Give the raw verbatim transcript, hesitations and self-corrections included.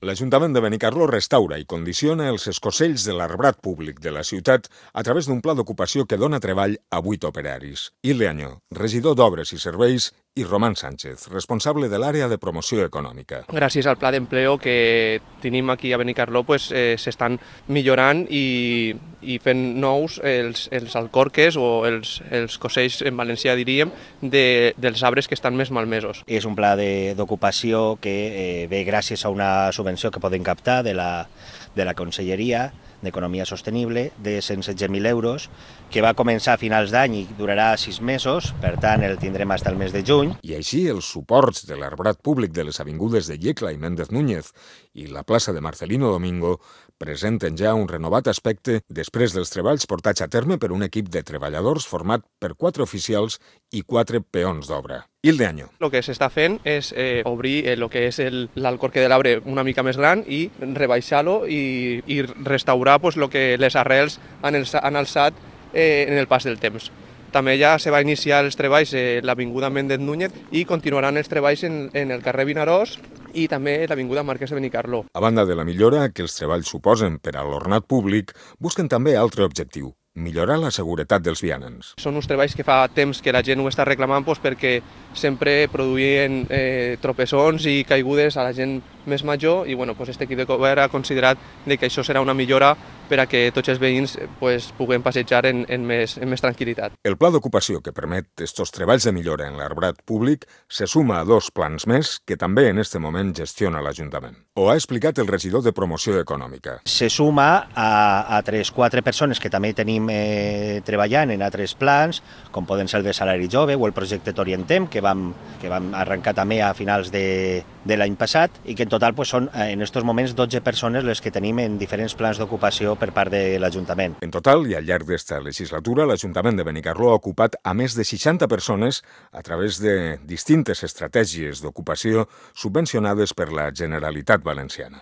L'Ajuntament de Benicarló restaura i condiciona els escocells de l'arbrat públic de la ciutat a través d'un pla d'ocupació que dona treball a vuit operaris. Ileaño, regidor d'Obres i Serveis, i Román Sánchez, responsable de l'àrea de promoció econòmica. Gràcies al pla d'empleo que tenim aquí a Benicarló pues, eh, s'estan millorant i, i fent nous els, els alcorques o els, els cosells en valencià diríem de, dels arbres que estan més malmesos. És un pla d'ocupació que eh, ve gràcies a una subvenció que podem captar de la, de la Conselleria d'Economia Sostenible de cent setze mil euros, que va començar a finals d'any i durarà sis mesos, per tant el tindrem fins al mes de juny. I així els suports de l'arbrat públic de les avingudes de Yecla i Méndez Núñez i la plaça de Marcelino Domingo presenten ja un renovat aspecte després dels treballs portats a terme per un equip de treballadors format per quatre oficials i quatre peons d'obra. Ileaño. El que s'està fent és eh, obrir el que és l'alcorque de l'arbre una mica més gran i rebaixar-lo i, i restaurar pues, lo que les arrels han, han alçat eh, en el pas del temps. També ja se va iniciar els treballs a l'Avinguda Méndez Núñez i continuaran els treballs en, en el carrer Vinaròs i també l'Avinguda Marquès de Benicarló. A banda de la millora que els treballs suposen per a l'ornat públic, busquen també altre objectiu: millorar la seguretat dels vianants. Són uns treballs que fa temps que la gent ho està reclamant doncs, perquè sempre produïen eh, tropessons i caigudes a la gent més major i bueno, doncs, este equip de govern ha considerat que això serà una millora per a que tots els veïns pues, puguem passejar en, en, més, en més tranquil·litat. El pla d'ocupació que permet estos treballs de millora en l'arbrat públic se suma a dos plans més que també en este moment gestiona l'Ajuntament. Ho ha explicat el regidor de Promoció Econòmica. Se suma a, a tres quatre persones que també tenim eh, treballant en altres plans, com poden ser el de salari jove o el projecte T'Orientem, que vam, que vam arrencar també a finals de, de l'any passat i que en total pues, són en aquests moments dotze persones les que tenim en diferents plans d'ocupació per part de l'Ajuntament. En total, i al llarg d'esta legislatura, l'Ajuntament de Benicarló ha ocupat a més de seixanta persones a través de distintes estratègies d'ocupació subvencionades per la Generalitat Valenciana.